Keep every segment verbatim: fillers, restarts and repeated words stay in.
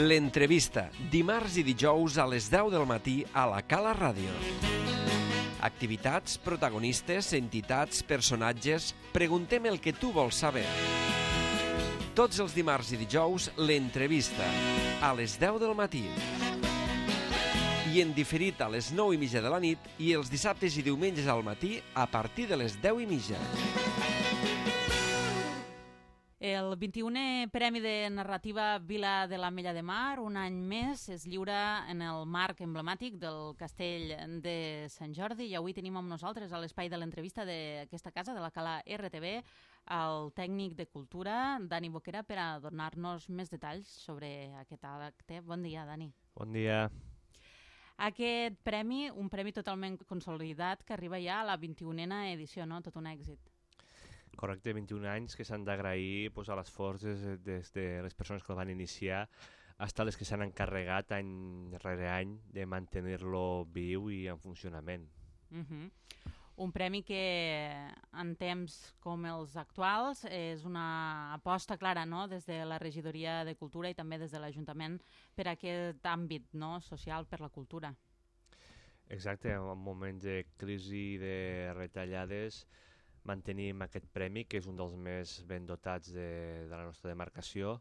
L'entrevista, dimarts i dijous a les deu del matí a la Cala Ràdio. Activitats, protagonistes, entitats, personatges... Preguntem el que tu vols saber. Tots els dimarts i dijous, l'entrevista, a les deu del matí. I en diferit a les nou i mitja de la nit i els dissabtes i diumenges al matí a partir de les deu i mitja. El vint-i-unè Premi de Narrativa Vila de l'Ametlla de Mar, un any més, es lliura en el marc emblemàtic del Castell de Sant Jordi i avui tenim amb nosaltres a l'espai de l'entrevista d'aquesta casa, de la Cala R T V, el tècnic de cultura, Dani Boquera, per a donar-nos més detalls sobre aquest acte. Bon dia, Dani. Bon dia. Aquest premi, un premi totalment consolidat que arriba ja a la vint-i-unena edició, no? Tot un èxit. Correcte, vint-i-un anys que s'han d'agrair pues, a l'esforç des, des de les persones que el van iniciar fins a les que s'han encarregat any rere any de mantenir-lo viu i en funcionament. Uh-huh. Un premi que en temps com els actuals és una aposta clara, no?, des de la Regidoria de Cultura i també des de l'Ajuntament per a aquest àmbit, no?, social per la cultura. Exacte, en moments de crisi, de retallades, mantenim aquest premi, que és un dels més ben dotats de, de la nostra demarcació,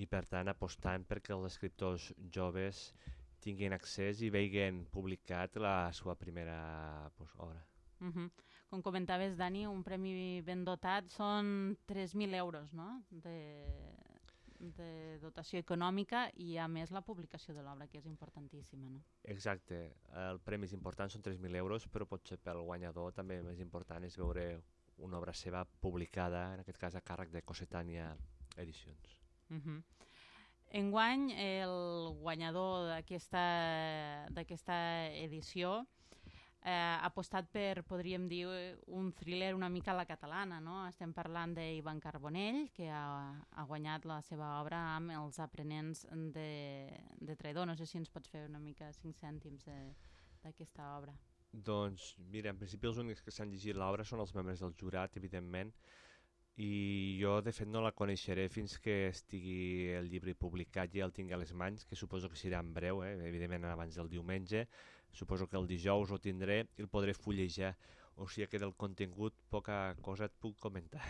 i per tant apostant perquè els escriptors joves tinguin accés i vegin publicat la seva primera pues, obra. Uh-huh. Com comentaves, Dani, un premi ben dotat són tres mil euros, no?, de, de dotació econòmica i a més la publicació de l'obra, que és importantíssima, no? Exacte, el premi és important, són tres mil euros, però potser pel guanyador també més important és veure una obra seva publicada, en aquest cas a càrrec de Cossetània Edicions. Uh-huh. Enguany, el guanyador d'aquesta d'aquesta edició eh, ha apostat per, podríem dir, un thriller una mica a la catalana, no? Estem parlant d'Ivan Carbonell, que ha, ha guanyat la seva obra amb Els aprenents de, de traïdor. No sé si ens pots fer una mica cinc cèntims d'aquesta obra. Doncs mira, en principi els únics que s'han llegit l'obra són els membres del jurat, evidentment, i jo de fet no la coneixeré fins que estigui el llibre publicat i el tingui a les mans, que suposo que serà en breu, eh? Evidentment abans del diumenge, suposo que el dijous ho tindré i el podré fullejar, o sigui que del contingut poca cosa et puc comentar.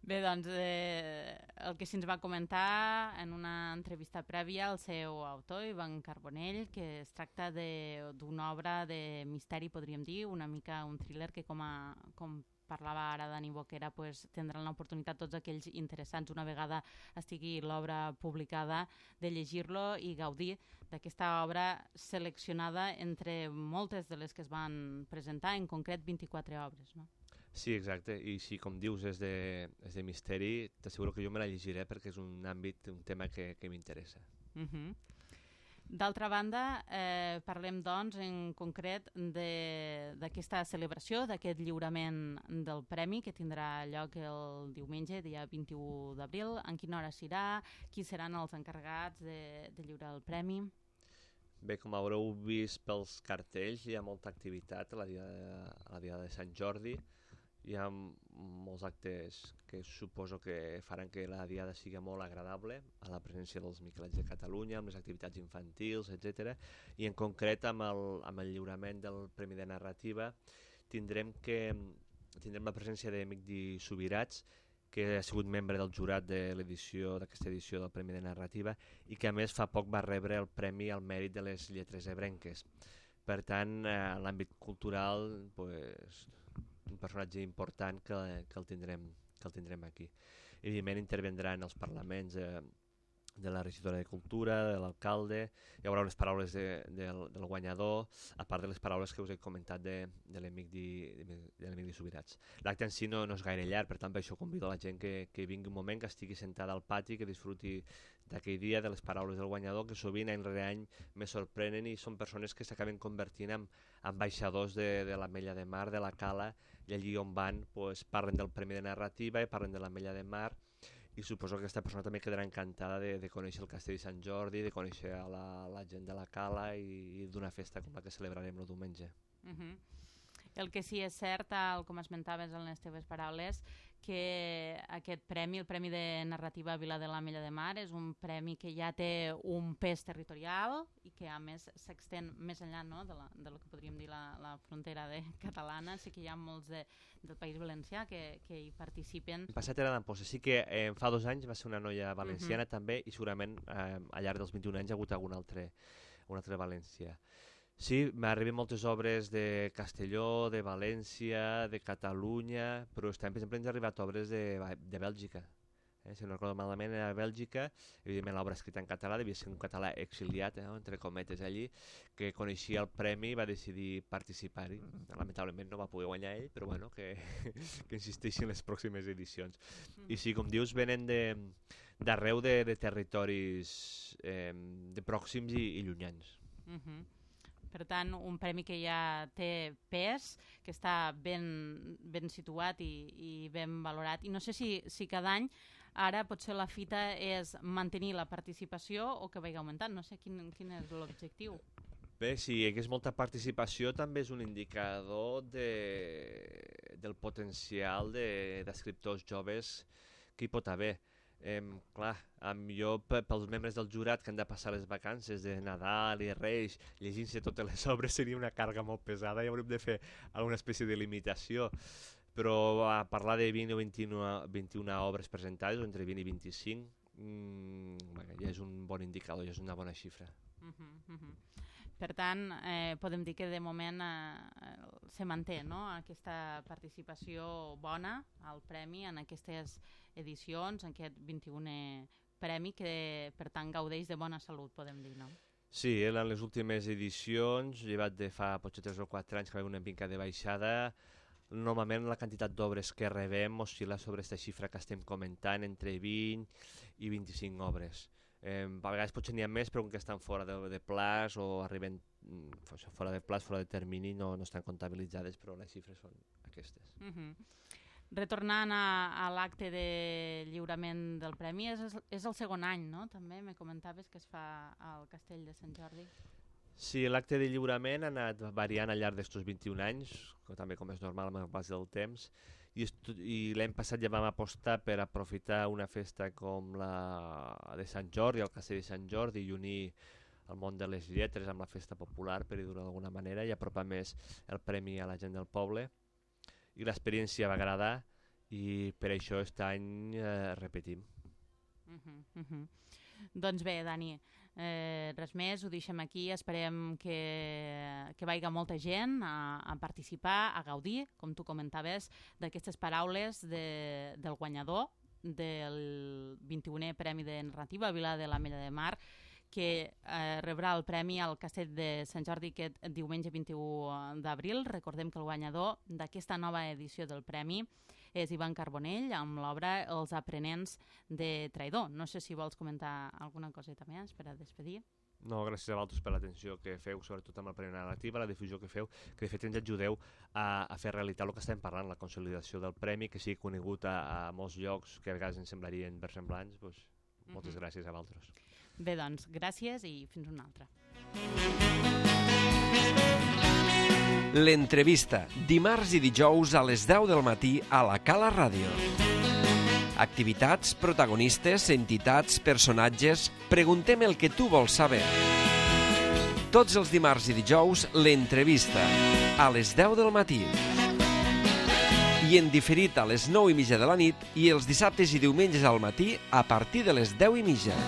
Bé, doncs, eh, el que se'ns va comentar en una entrevista prèvia al seu autor, Ivan Carbonell, que es tracta d'una obra de misteri, podríem dir, una mica un thriller que, com, a, com parlava ara Dani Boquera, pues, tindran l'oportunitat tots aquells interessants, una vegada estigui l'obra publicada, de llegir-lo i gaudir d'aquesta obra seleccionada entre moltes de les que es van presentar, en concret vint-i-quatre obres, no? Sí, exacte, i si com dius és de, és de misteri, t'asseguro que jo me la llegiré perquè és un àmbit, un tema que, que m'interessa. Uh-huh. D'altra banda, eh, parlem doncs en concret d'aquesta celebració, d'aquest lliurament del premi que tindrà lloc el diumenge, dia vint-i-u d'abril. En quina hora serà? Qui seran els encarregats de, de lliurar el premi? Bé, com haureu vist pels cartells, hi ha molta activitat a la dia de, a la dia de Sant Jordi. Hi ha molts actes que suposo que faran que la diada sigui molt agradable, a la presència dels Miquelets de Catalunya, amb les activitats infantils, etcètera. I en concret amb el, amb el lliurament del Premi de Narrativa tindrem, que, tindrem la presència de Migdi Subirats, que ha sigut membre del jurat de l'edició d'aquesta edició del Premi de Narrativa i que a més fa poc va rebre el Premi al Mèrit de les Lletres Ebrenques. Per tant, en l'àmbit cultural, pues, un personatge important que, que, el tindrem, que el tindrem aquí. Evidentment intervendran els parlaments eh, de la regidora de Cultura, de l'alcalde, hi haurà les paraules de, de, del guanyador, a part de les paraules que us he comentat de, de l'amic de Subirats. L'acte en si no, no és gaire llarg, per tant per això convido a la gent que, que vingui un moment, que estigui sentada al pati, que disfruti d'aquell dia, de les paraules del guanyador, que sovint any rere any me sorprenen i són persones que s'acaben convertint en ambaixadors de, de l'Ametlla de Mar, de la Cala, i allí on van pues, parlen del Premi de Narrativa i parlen de l'Ametlla de Mar, i suposo que aquesta persona també quedarà encantada de, de conèixer el Castell de Sant Jordi, de conèixer a la, la gent de la Cala i, i d'una festa com la que celebrarem el diumenge. Uh-huh. El que sí és cert, tal com esmentaves en les teves paraules, que aquest premi, el Premi de Narrativa Vila de l'Ametlla de Mar, és un premi que ja té un pes territorial i que a més s'extén més enllà, no?, de, la, de lo que podríem dir la, la frontera de catalana. Sí que hi ha molts de, del País Valencià que, que hi participen. El passat era d'Amposta, sí que eh, fa dos anys va ser una noia valenciana uh-huh. també, i segurament eh, al llarg dels vint-i-un anys hi ha hagut algun altre, un altre valencià. Sí, m'arriben moltes obres de Castelló, de València, de Catalunya, però estem, per exemple, ens han arribat obres de, de Bèlgica. Eh? Si no recordo malament, era de Bèlgica, evidentment l'obra escrita en català, devia ser un català exiliat, eh? entre cometes allí, que coneixia el premi i va decidir participar-hi. Lamentablement no va poder guanyar ell, però bueno, que, que insisteixi en les pròximes edicions. I sí, com dius, venen d'arreu de, de, de territoris eh, de pròxims i, i llunyans. Uh-huh. Per tant, un premi que ja té pes, que està ben, ben situat i, i ben valorat. I no sé si, si cada any, ara potser la fita és mantenir la participació o que vagi augmentant. No sé quin, quin és l'objectiu. Bé, si hi hagués molta participació també és un indicador de, del potencial d'escriptors de, joves que hi pot haver. Eh, clar, jo pels membres del jurat que han de passar les vacances de Nadal i Reis llegint-se totes les obres seria una càrrega molt pesada i hauríem de fer alguna espècie de limitació, però a parlar de vint o vint-i-una obres presentades, o entre vint i vint-i-cinc, mmm, bueno, ja és un bon indicador, ja és una bona xifra. Uh-huh, uh-huh. Per tant, eh, podem dir que de moment eh, se manté, no?, aquesta participació bona al premi en aquestes edicions, en aquest vint-i-unè premi que, per tant, gaudeix de bona salut, podem dir, no? Sí, en les últimes edicions, llevat de fa potser tres o quatre anys que va haver una mica de baixada, normalment la quantitat d'obres que rebem oscil·la sobre aquesta xifra que estem comentant, entre vint i vint-i-cinc obres. Eh, a vegades potser n'hi ha més, però que estan fora de, de plaç o arriben fora de plaç, fora de termini, no, no estan comptabilitzades, però les xifres són aquestes. Uh-huh. Retornant a, a l'acte de lliurament del premi, és, és el segon any, no? També me comentaves que es fa al Castell de Sant Jordi. Sí, l'acte de lliurament ha anat variant al llarg d'estos vint-i-un anys, també com és normal amb el pas del temps, i, i l'any passat ja vam apostar per aprofitar una festa com la de Sant Jordi, el Castell de Sant Jordi, i unir el món de les lletres amb la festa popular, per dir-ho d'alguna manera, i apropar més el premi a la gent del poble. I l'experiència va agradar i per això aquest any eh, repetim. Uh-huh, uh-huh. Doncs bé, Dani, eh, res més, ho deixem aquí, esperem que, que vagi molta gent a, a participar, a gaudir, com tu comentaves, d'aquestes paraules de, del guanyador del vint-i-unè Premi de Narrativa Vila de l'Ametlla de Mar, que eh, rebrà el premi al Castell de Sant Jordi aquest diumenge vint-i-u d'abril. Recordem que el guanyador d'aquesta nova edició del premi és Ivan Carbonell, amb l'obra Els aprenents de Traïdor. No sé si vols comentar alguna coseta més per a despedir. No, gràcies a vosaltres per l'atenció que feu, sobretot amb el Premi Narrativa, la difusió que feu, que de fet ens ajudeu a, a fer realitat el que estem parlant, la consolidació del premi, que sigui conegut a, a molts llocs que a vegades ens semblarien versemblants. Doncs, moltes mm-hmm. gràcies a vosaltres. Bé, doncs, gràcies i fins una altra. L'entrevista, dimarts i dijous a les deu del matí a la Cala Ràdio. Activitats, protagonistes, entitats, personatges... Preguntem el que tu vols saber. Tots els dimarts i dijous, l'entrevista, a les deu del matí. I en diferit a les nou i mitja de la nit i els dissabtes i diumenges al matí a partir de les deu i mitja.